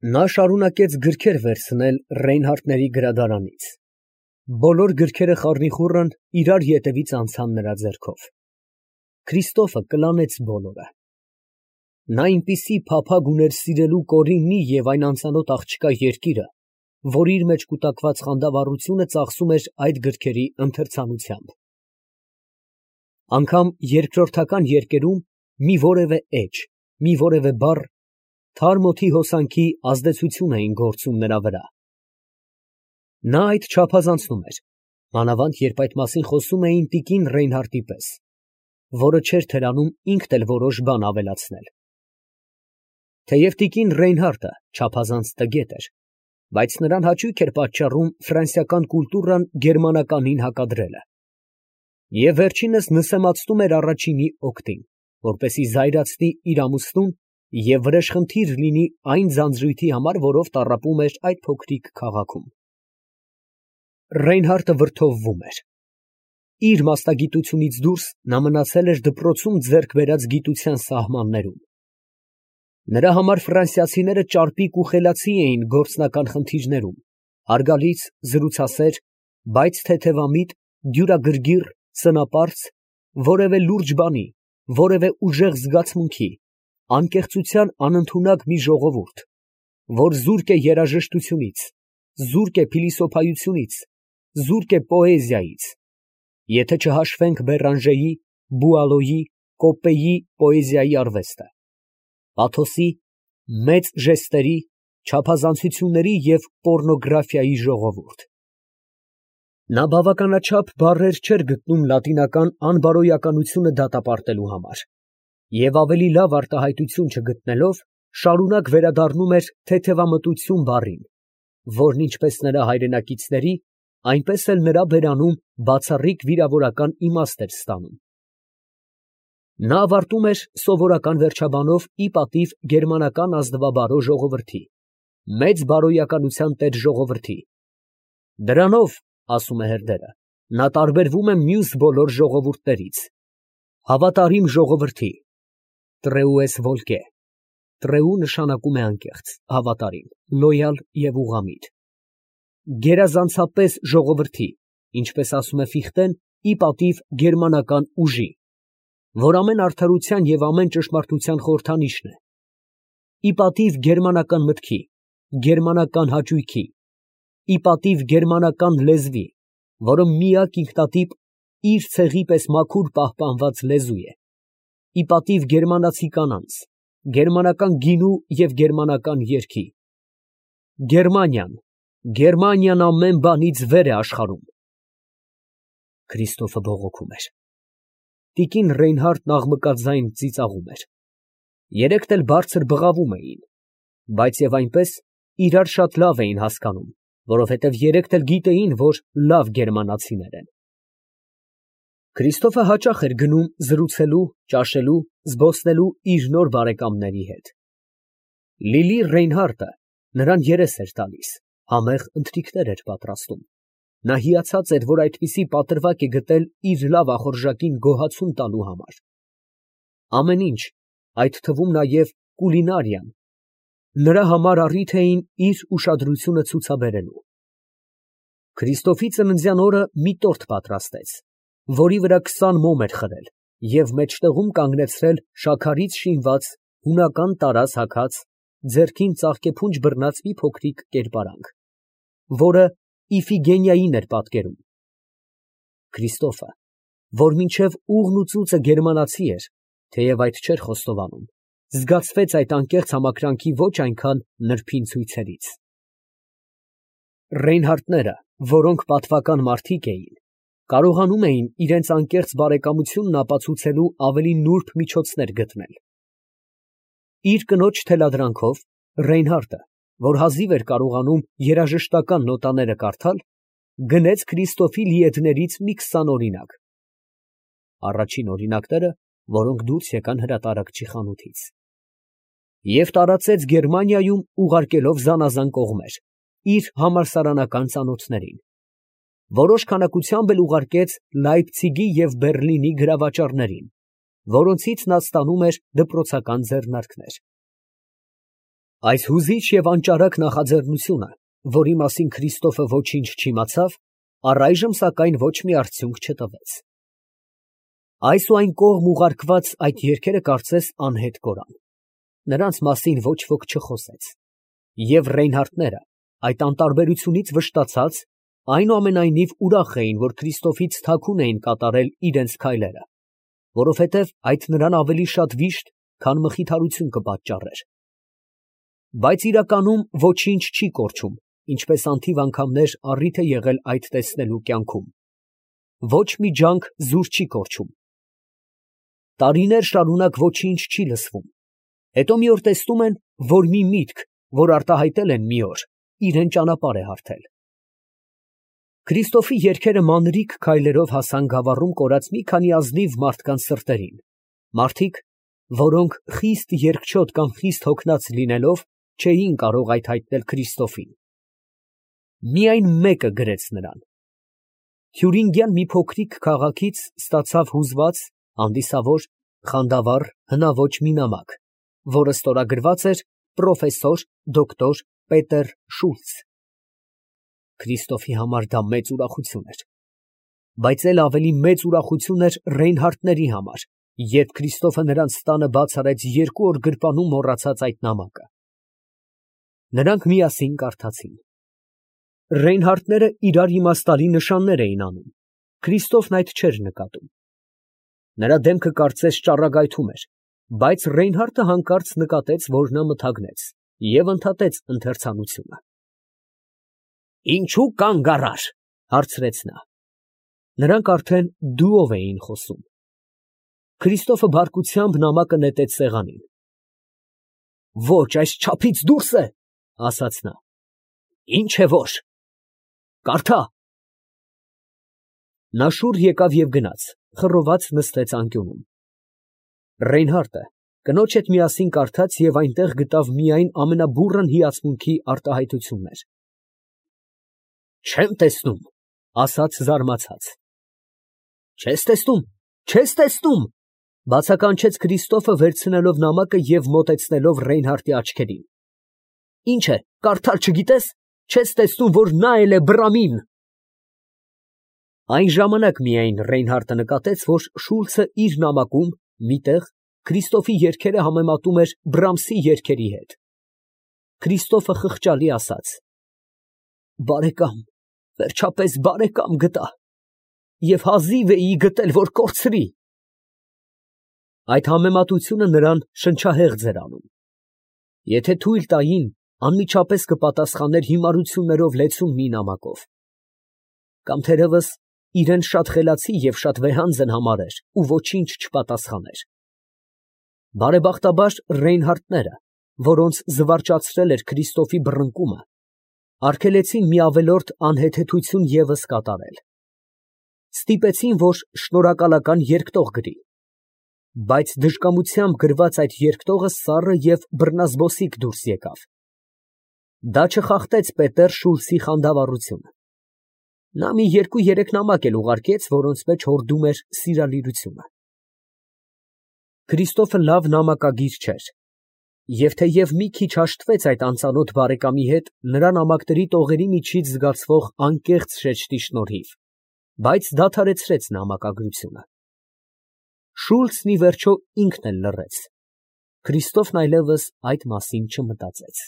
Նա շարունակեց գրքեր վերցնել Ռեյնհարդների գրադարանից. բոլոր գրքերը խառնիխուռն իրար ետևից անցան նրա ձեռքով. Քրիստոֆը կլանեց բոլորը. նա այնպիսի փափագ ուներ սիրելու Կորիննի և այն անծանոթ աղջկա երկիրը, որ իր մեջ կուտակված խանդավառությունը ծախսում էր այդ գրքերի ընթերցանությամբ. անգամ երկրորդական երկերում մի որևէ էջ, մի որևէ բառ թարմ օդի հոսանքի ազդեցություն էին գործում նրա վրա. նա այդ չափազանցնում էր, մանավանդ երբ այդ մասին խոսում էին տիկին Ռեյնհարդի պես, որը չէր թերանում ինքն էլ որոշ բան ավելացնել. թեև տիկին Ռեյնհարդը չափազանց տգետ էր, բայց նրան հաճույք էր պատճառում ֆրանսիական կուլտուրան գերմանականին հակադրելը, և վերջինս նսեմացնում էր առաջինի օգտին, որպեսզի զայրացնի իր ամուսնուն և վրեժխնդիր լինի այն ձանձրույթի համար, որով տառապում էր այդ փոքրիկ քաղաքում։ Ռեյնհարդը վրդովվում էր. իր մասնագիտությունից դուրս նա մնացել էր դպրոցում ձեռք բերած գիտության սահմաններում։ Նրա համար ֆրանսիացիները ճարպիկ ու խելացի էին գործնական խնդիրներում, հարգալից, զրուցասեր, բայց թեթևամիտ, դյուրագրգիռ, սնապարծ, որևէ լուրջ բանի, որևէ ուժեղ զգացմունքի, անկեղծության անընդունակ մի ժողովուրդ, որ զուրկ է երաժշտությունից, զուրկ է փիլիսոփայությունից, զուրկ է պոեզիայից, եթե չհաշվենք Բերանժեի, Բուալոյի, Կոպպեի պոեզիայի արվեստը, պաթոսի, մեծ ժեստերի, չափազանցությունների և պոռնոգրաֆիայի ժողովուրդ։ Նա բավականաչափ բառեր չէր գտնում լատինական անբարոյականությունը դատապարտելու համար, և ավելի լավ արտահայտություն չգտնելով, շարունակ վերադառնում էր թեթևամտություն բառին, որն ինչպես նրա հայրենակիցների, այնպես էլ նրա բերանում բացառիկ վիրավորական իմաստ էր ստանում։ Նա ավարտում էր սովորական վերջաբանով ի պատիվ գերմանական ազնվաբարո ժողովրդի, մեծ բարոյականության տեր ժողովրդի. դրանով, ասում է հերդերը, նա տարբերվում է մյուս բոլոր ժողովուրդներից, հավատարիմ ժողովրդի, տրեուես վոլկե, տրեու նշանակում է անկեղծ, հավատարիմ, լոյալ և ուղղամիտ, գերազանցապես ժողովրդի, ինչպես ասում է Ֆիխտեն, ի պատիվ գերմանական ուժի, որ ամեն արդարության և ամեն ճշմարտության խորհրդանիշն է, ի պատիվ գերմանական մտքի, գերմանական հաճույքի, ի պատիվ գերմանական լեզվի, որը միակ ինքնատիպ իր ցեղի պես մաքուր պահպանված լեզու է, ի պատիվ գերմանացի կանանց, գերմանական գինու և գերմանական երգի, Գերմանիան, Գերմանիան ամեն բանից վեր է աշխարհում։ Քրիստոֆը բողոքում էր։ Տիկին Ռեյնհարդն աղմկաձայն ծիծաղում էր։ Երեքն էլ բարձր բղավում էին, բայց և այնպես իրար շատ լավ էին հասկանում, որովհետև երեքն էլ գիտեին, որ լավ գերմանացիներ են։ Քրիստոֆը հաճախ էր գնում զրուցելու, ճաշելու, զբոսնելու իր նոր բարեկամների հետ։ Լիլի Ռեյնհարդը նրան երես էր տալիս, համեղ ընթրիքներ էր պատրաստում։ Նա հիացած էր, որ այդպիսի պատրվակ է գտել իր լավ ախորժակին գոհացում տալու համար։ Ամեն ինչ, այդ թվում նաև կուլինարիան, նրա համար առիթ էին իր ուշադրությունը ցուցաբերելու։ Քրիստոֆի ծննդյան օրը մի տորտ պատրաստեց, որի վրա 20 մոմ էր խրել և մեջտեղում կանգնեցրել շաքարից շինված, հունական տարազ հագած, ձեռքին ծաղկեփունջ բռնած մի փոքրիկ կերպարանք, որը Իֆիգենիային էր պատկերում։ Քրիստոֆը, որ մինչև ուղն ու ծուծը գերմանացի էր, թեև այդ չէր խոստովանում, զգացվեց այդ անկեղծ համակրանքի ոչ այնքան նրբին ցույցերից։ Ռեյնհարդները, որոնք պատվական մարդիկ էին, կարողանում էին իրենց անկեղծ բարեկամությունն ապացուցելու ավելի նուրբ միջոցներ գտնել։ Իր կնոջ թելադրանքով Ռեյնհարդը, որ հազիվ էր կարողանում երաժշտական նոտաները կարդալ, գնեց Քրիստոֆի լիեդներից մի 20 օրինակ։ Առաջին օրինակները, որոնք դուրս եկան հրատարակչի խանութից։ Եվ տարածեց Գերմանիայում, ուղարկելով զանազան կողմեր, իր համալսարանական ծանոթներին։ Որոշ քանակությամբ էլ ուղարկեց Լայպցիգի և Բեռլինի գրավաճառներին, որոնցից նա ստանում էր դպրոցական ձեռնարկներ։ Այս հուզիչ և անճարակ նախաձեռնությունը, որի մասին Քրիստոֆը ոչինչ չիմացավ, առայժմ սակայն ոչ մի արդյունք չտվեց։ Այս ու այն կողմ ուղարկված այդ երգերը կարծես անհետ կորան. նրանց մասին ոչ ոք չխոսեց, և Ռեյնհարդները, այդ անտարբերությունից վշտացած, այնուամենայնիվ ուրախ էին, որ Քրիստոֆից թաքուն էին կատարել իրենց քայլերը, որովհետև այդ նրան ավելի շատ վիշտ, քան մխիթարություն կպատճառեր։ Բայց իրականում ոչինչ չի կորչում, ինչպես անթիվ անգամներ առիթ է եղել այդ տեսնելու կյանքում։ Ոչ մի ջանք զուր չի կորչում։ Տարիներ շարունակ ոչինչ չի լսվում, հետո մի օր տեսնում են, որ մի միտք, որ արտահայտել են մի օր, իրան ճանապարհ է հարթել։ Քրիստոֆի երգերը մանրիկ քայլերով հասան գավառում կորած մի քանի ազնիվ մարդկանց սրտերին, մարդիկ, որոնք խիստ երկչոտ կամ խիստ հոգնած լինելով, չէին կարող այդ հայտնել Քրիստոֆին։ Միայն մեկը գրեց նրան. Թյուրինգյան մի փոքրիկ քաղաքից ստացավ հուզված, հանդիսավոր, խանդավառ, հնաոճ մի նամակ, որը ստորագրված էր պրոֆեսոր դոկտոր Պետեր Շուլց։ Քրիստոֆի համար դա մեծ ուրախություն էր, բայց էլ ավելի մեծ ուրախություն էր Ռեյնհարդների համար, երբ Քրիստոֆը նրանց տանը բաց արեց 2 օր գրպանում մոռացած այդ նամակը։ Նրանք միասին կարդացին։ Ռեյնհարդները իրար իմաստալի նշաններ էին անում, Քրիստոֆն այդ չէր նկատում։ Նրա դեմքը կարծես ճառագայթում էր, բայց Ռեյնհարդը հանկարծ նկատեց, որ նա մթագնեց և ընդհատեց ընթերցանությունը։ «Ինչու կանգ առար», հարցրեց նա։ Նրանք արդեն դուով էին խոսում։ Քրիստոֆը բարկությամբ նամակը նետեց սեղանին։ «Ոչ, այսչափից դուրս է», ասաց նա։ «Ինչ է որ։ Կարդա»։ Նա շուռ եկավ և գնաց, խռոված նստեց անկյունում։ Ռեյնհարդը կնոջ հետ միասին կարդաց և այնտեղ գտավ միայն ամենաբուռն հիացմունքի արտահայտություններ։ «Չեմ տեսնում», ասաց զարմացած։ «Չես տեսնում, չես տեսնում», բացականչեց Քրիստոֆը, վերցնելով նամակը և մոտեցնելով Ռեյնհարդի աչքերին։ «Ինչ է, կարդալ չգիտես, չես տեսնում, որ նա էլ է բռամին»։ Այն ժամանակ միայն Ռեյնհարդը նկատեց, որ Շուլցը իր նամակում մի տեղ Քրիստոֆի երգերը համեմատում էր Բրամսի երգերի հետ։ Քրիստոֆը խղճալի ասաց. «Բարեկամ, վերջապես բարեկամ գտա, և հազիվ էի գտել, որ կորցրի»։ Այդ համեմատությունը նրան շնչահեղձ էր անում։ Եթե թույլ տային, անմիջապես կպատասխաներ հիմարություններով լեցուն մի նամակով։ Կամ թերևս իրեն շատ խելացի և շատ վեհանձն համարեր ու ոչինչ չպատասխաներ։ Բարեբախտաբար Ռեյնհարդները, որոնց զվարճացրել էր Քրիստոֆի բռնկումը, արգելեցին մի ավելորդ անհեթեթություն ևս կատարել։ Ստիպեցին, որ շնորհակալական երկտող գրի, բայց դժկամությամբ գրված այդ երկտողը սառը և բռնազբոսիկ դուրս եկավ։ Դա չխախտեց Պետեր Շուլցի խանդավառությունը։ Նա մի 2-3 նամակ էլ ուղարկեց, որոնց մեջ հորդում էր սիրալիրությունը։ Քրիստոֆը լավ նամակագիր չէր, և թեև մի քիչ հաշտվեց այդ անծանոթ բարեկամի հետ նրա նամակների տողերի միջից զգացվող անկեղծ շեշտի շնորհիվ, բայց դադարեցրեց նամակագրությունը։ Շուլցն ի վերջո ինքն էլ լռեց։ Քրիստոֆն այլևս այդ մասին չմտածեց։